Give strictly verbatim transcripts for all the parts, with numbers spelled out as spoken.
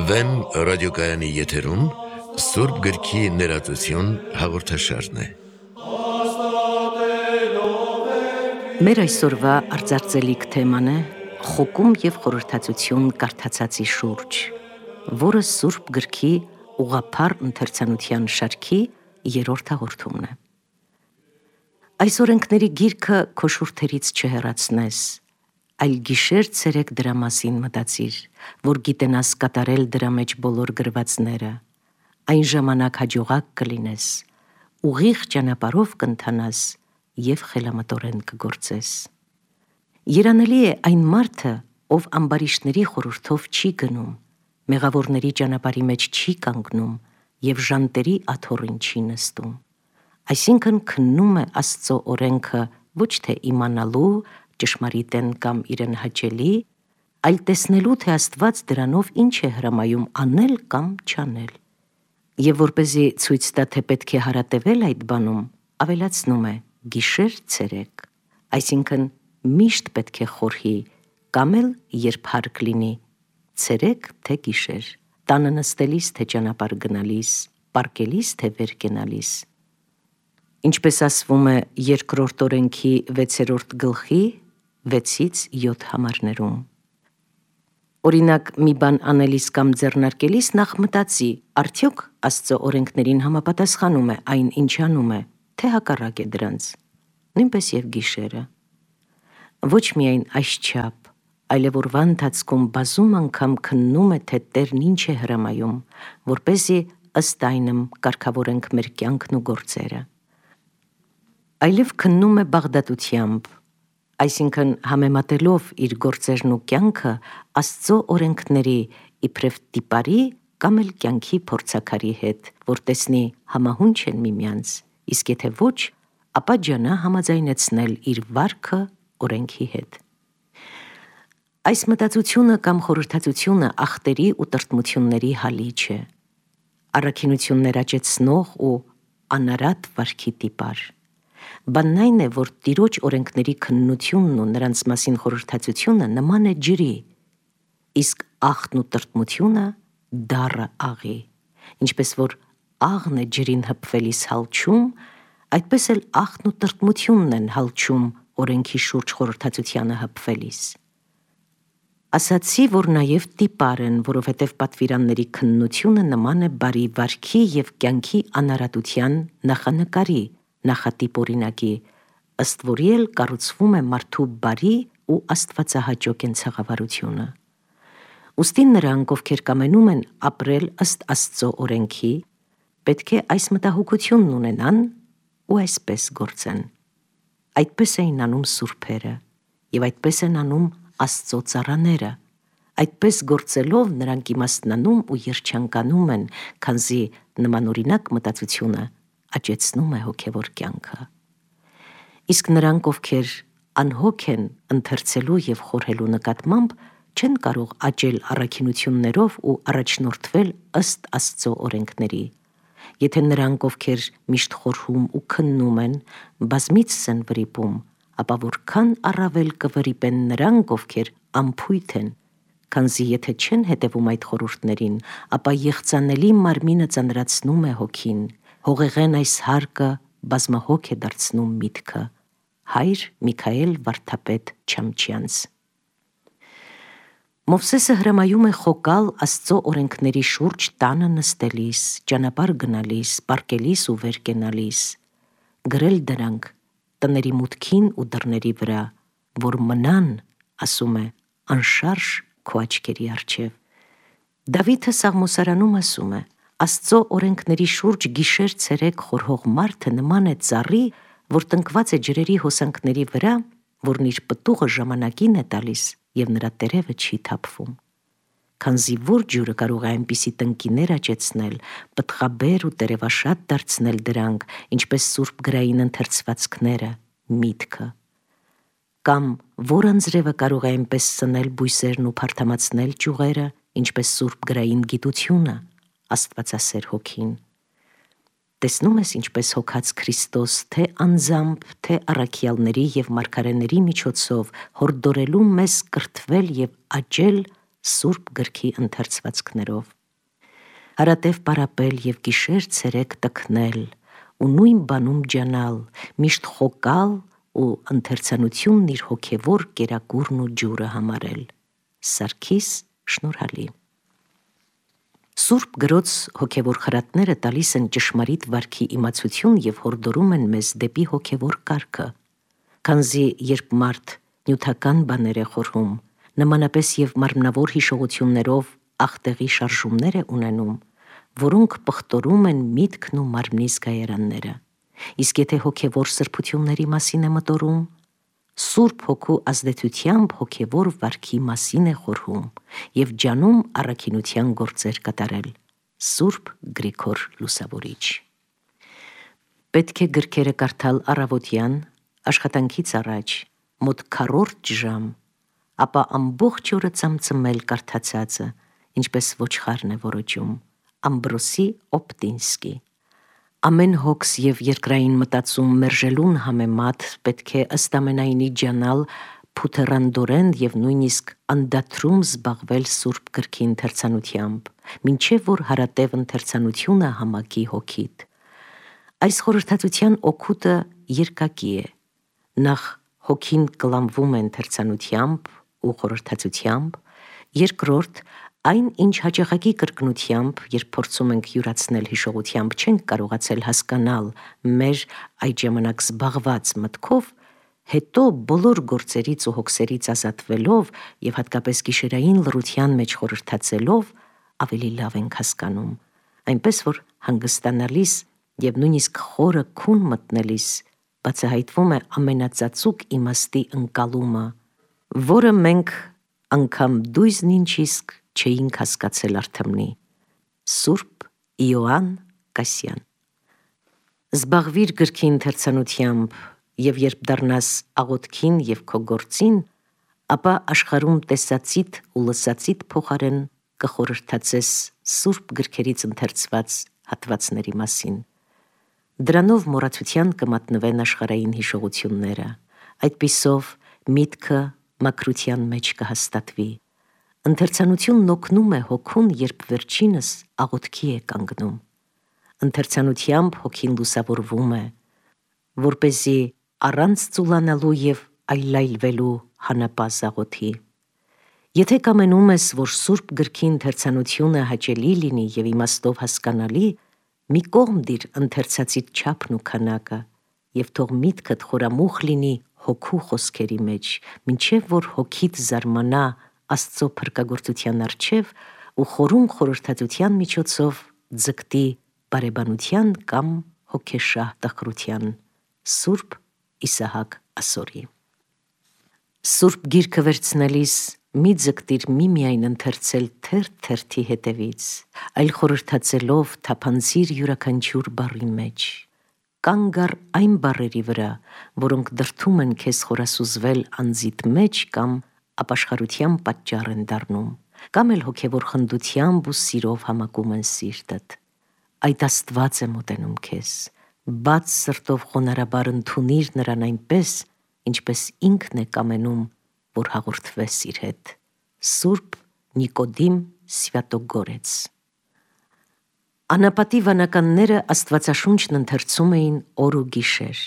Վեմ ռադիոկայանի եթերում Սուրբ գրքի ներածություն հաղորդաշարն է։ Մեր այսօրվա արձարծելիք թեման է խոկում և խորհրդածություն կարդացածի շուրջ, որը Սուրբ գրքի ուղղափառ ընթերցանության շարքի երրորդ հաղորդումն է։ Այս օրենքների գիրքը քո շուրթերից չհեռացնես, այլ գիշեր ցերեկ դրա մասին մտածիր, որ գիտենաս կատարել դրա մեջ բոլոր գրվածները, այն ժամանակ հաջողակ կլինես, ուղիղ ճանապարհով կընթանաս և խելամտորեն կգործես։ Երանելի է այն մարդը, ով ամբարիշտների խորհրդով չի գնում, մեղավորների ճանապարհի մեջ չի կանգնում և ժանտերի աթոռին չի նստում, այսինքն քննում է Աստծո օրենքը ոչ թե իմանալու, ճշմարիտ են կամ իրեն հաճելի, այլ տեսնելու, թե Աստված դրանով ինչ է հրամայում անել կամ չանել։ Եվ որպեսզի ցույց տա, թե պետք է հարատևել այդ բանում, ավելացնում է գիշեր ցերեկ, այսինքն միշտ պետք է խորհի, կամ էլ երբ հարկ լինի, ցերեկ թե գիշեր, տանը նստելիս թե ճանապարհ գնալիս, պառկելիս թե վեր կենալիս։ Ինչպես ասվում է երկրորդ օրենքի վեցերորդ գլխի վեցից յոթ համարներում։ Օրինակ, մի բան անելիս կամ ձեռնարկելիս նախ մտածի, արդյոք Աստծո օրենքներին համապատասխանում է այն, ինչ անում է, թե հակառակ է դրանց, նույնպես և գիշերը։ Ոչ միայն այսչափ, այլև օրվա ընթացքում բազում անգամ քննում է, թե Տերն ինչ է հրամայում, որպեսզի ըստ այնմ կարգավորենք մեր կյանքն ու գործերը։ Այլև քննում է բաղդատությամբ, այսինքն համեմատելով իր գործերն ու կյանքը Աստծո օրենքների իբրև տիպարի կամ էլ կյանքի փորձաքարի հետ, որ տեսնի համահունչ են միմյանց, իսկ եթե ոչ, ապա ջանա համաձայնեցնել իր վարքը օրենքի հետ։ Այս մտածությունը կամ խորհրդածությունը ախտերի ու տրտմությունների հալիչ է, առաքինություններ աճեցնող ու անարատ վարքի տիպար։ Բանն այն է, որ Տիրոջ օրենքների քննությունն ու նրանց մասին խորհրդածությունը նման է ջրի, իսկ ախտն ու տրտմությունը դառը աղի, ինչպես որ աղն է ջրին հպվելիս հալչում, այդպես էլ ախտն ու տրտմությունն են հալչում օրենքի շուրջ խորհրդածությանը հպվելիս։ Ասացի, որ նաև տիպար են, որովհետև պատվիրանների քննությունը նման է բարի վարքի և կյանքի անարատության նախանկարի, նախատիպ օրինակի, ըստ որի էլ կառուցվում է մարդու բարի ու աստվածահաճո կենցաղավարությունը։ Ուստի նրանք, ովքեր կամենում են ապրել ըստ Աստծո օրենքի, պետք է այս մտահոգությունն ունենան ու այսպես գործեն։ Այդպես էին անում սուրբերը, և այդպես են անում Աստծո ծառաները, այդպես գործելով նրանք իմաստնանում ու երջանկանում են, քանզի նմանօրինակ մտածությունը աճեցնում է հոգևոր կյանքը։ Իսկ նրանք, ովքեր անհոգ են ընթերցելու և խորհելու նկատմամբ, չեն կարող աճել առաքինություններով ու առաջնորդվել ըստ Աստծո օրենքների։ Եթե նրանք, ովքեր միշտ խորհում ու քննում են, բազմիցս են վրիպում, ապա որքան առավել կվրիպեն նրանք, ովքեր անփույթ են, քանզի եթե չեն հետևում այդ խորհուրդներին, ապա եղծանելի մարմինը ծանրացնում է հոգին, հողեղեն այս հարկը բազմահոգ է դարձնում միտքը։ Հայր Միքայել վարդապետ Չամչյանց։ Մովսեսը հրամայում է խոկալ Աստծո օրենքների շուրջ տանը նստելիս, ճանապարհ գնալիս, պառկելիս ու վեր կենալիս, գրել դրանք տների մուտքին ու դռների վրա, որ մնան, ասում է, անշարժ քո աչքերի առջև։ Դավիթը Սաղմոսարանում ասում է. Աստծո օրենքների շուրջ գիշեր ցերեկ խորհող մարդը նման է ծառի, որ տնկված է ջրերի հոսանքների վրա, որն իր պտուղը ժամանակին է տալիս և նրա տերևը չի թափվում։ Քանզի որ ջուրը կարող է այնպիսի տնկիներ աճեցնել, պտղաբեր ու տերևաշատ դարձնել դրանք, ինչպես սուրբ գրային ընթերցվածքները, միտքը։ Կամ որ անձրևը կարող է այնպես սնել բույսերն ու փարթամացնել ճյուղերը, ինչպես սուրբ գրային գիտությունը, աստվածասեր հոգին։ Տեսնում ես ինչպես հոգած Քրիստոս թե անձամբ, թե առաքյալների եւ մարգարեների միջոցով հորդորելու մեզ կրթվել եւ աճել Սուրբ գրքի ընթերցվածքներով։ Հարատև պարապել եւ գիշեր ցերեկ տքնել ու նույն բանում ջանալ, միշտ խոկալ ու ընթերցանությունն իր հոգևոր կերակուրն ու ջուրը համարել։ Սարգիս Շնորհալի։ Սուրբ գրոց հոգևոր խրատները տալիս են ճշմարիտ վարքի իմացություն եւ հորդորում են մեզ դեպի հոգևոր կարգը։ Քանզի երբ մարդ նյութական բաներ է խորհում, նմանապես եւ մարմնավոր հիշողություններով ախտեղի շարժումներ է ունենում, որոնք պղտորում են միտքն ու մարմնի զգայարանները։ Իսկ եթե հոգևոր սրբությունների մասին է մտորում, Սուրբ հոգու ազդեցությամբ հոգևոր վարքի մասին է խորհում եւ ջանում առաքինության գործեր կատարել։ Սուրբ Գրիգոր Լուսավորիչ։ Պետք է գրքերը կարդալ առավոտյան, աշխատանքից առաջ, մոտ քառորդ ժամ, ապա ամբողջ օրը ծամծմել կարդացածը, ինչպես ոչխարն է որոջում։ Ամբրոսի Օպտինսկի։ Ամեն հոգս եւ երկրային մտածում մերժելուն համեմատ պետք է ըստ ամենայնի ջանալ փութերանդորեն եւ նույնիսկ անդատրում զբաղվել Սուրբ գրքի ընթերցանությամբ, մինչեւ որ հարատև ընթերցանությունը համակի հոգիդ։ Այս խորհրդածության օգուտը երկակի է։ Նախ հոգին կլանվում է ընթերցանությամբ ու խորհրդածությամբ, երկրորդ այն, ինչ հաճախակի կրկնությամբ, երբ փորձում ենք յուրացնել հիշողությամբ, չենք կարողացել հասկանալ մեր այդ ժամանակ զբաղված մտքով, հետո բոլոր գործերից ու հոգսերից ազատվելով եւ հատկապես գիշերային լռության մեջ խորհրդածելով ավելի լավ ենք հասկանում, այնպես որ հանգստանալիս եւ նույնիսկ խորը քուն մտնելիս բացահայտվում է ամենածածուկ իմաստի ընկալումը, որը մենք անգամ դույզն ինչ իսկ չէինք հասկացել արդմնի։ Սուրբ Իոանն Կասյան։ Զբաղվիր գրքի ընթերցանությամբ եւ երբ դառնաս աղոթքին եւ քո գործին, ապա աշխարհում տեսածիդ ու լսածիդ փոխարեն կխորհրդածես Սուրբ գրքերից ընթերցված հատվածների մասին։ Դրանով մոռացության կմատնվեն աշխարհային հիշողությունները, այդպիսով միտքը մաքրության մեջ կհաստատվի։ Ընթերցանությունն օգնում է հոգուն, երբ վերջինս աղոթքի է կանգնում։ Ընթերցանությամբ հոգին լուսավորվում է, որպեսզի առանց ծուլանալու եւ այլայլվելու հանապազ աղոթի։ Եթե կամենում ես, որ Սուրբ գրքի ընթերցանությունը հաճելի լինի եւ իմաստով հասկանալի, մի կողմ դիր ընթերցածիդ չափն ու քանակը եւ թող միտքդ խորամուխ լինի հոգու խոսքերի մեջ, մինչեւ որ հոգիդ զարմանա Աստծո փրկagorցության առջև ու խորում խորհրդածության միջոցով ձգտի բարեբանության կամ հոգեշահ տխրության։ Սուրբ Իսահակ Ասորի։ Սուրբ գիրքը վերցնելիս մի ձգտիր միմիայն ընթերցել թերթ-թերթի հետևից, այլ խորհրդածելով թափանցիր յուրաքանչյուր բառի մեջ։ Կանգ առ այն բառերի վրա, որոնք դրդում են քեզ խորասուզվել անձիդ մեջ կամ ապաշխարության պատճառ են դառնում, կամ էլ հոգևոր խնդությամբ ու սիրով համակում են սիրտդ։ Այդ Աստված է մոտենում քեզ, բաց սրտով խոնարհաբար ընդունիր նրան այնպես, ինչպես ինքն է կամենում, որ հաղորդվես իր հետ։ Սուրբ Նիկոդիմ Սվյատոգորեց։ Անապատի վանականները Աստվածաշունչն ընթերցում էին օր ու գիշեր,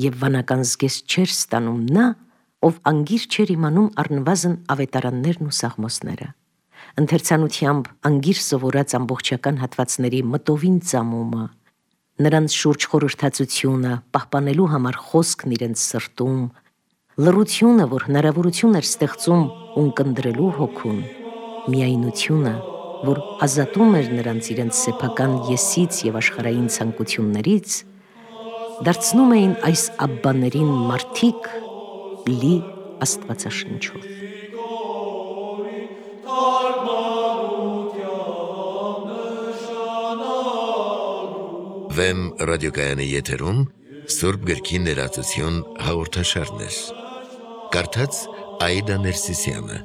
եւ վանական զգեստ չէր ստանում նա, ով անգիր չէր իմանում առնվազն ավետարաններն ու սաղմոսները։ Ընթերցանությամբ անգիր սովորած ամբողջական հատվածների մտովին ծամումը, նրանց շուրջ խորհրդածությունը, պահպանելու համար խոսքն իրենց սրտում, լռությունը, որ հնարավորություն էր ստեղծում ունկնդրելու հոգուն, միայնությունը, որ ազատում էր նրանց իրենց սեփական եսից եւ աշխարհային ցանկություններից, դարձնում էին այս աբբաներին մարդիկ լի Աստվածաշնչով։ Վեմ ռադիոկայանի եթերում Սուրբ գրքի ներածություն հաղորդաշարներ։ Կարդաց Այդա Ներսիսյանը։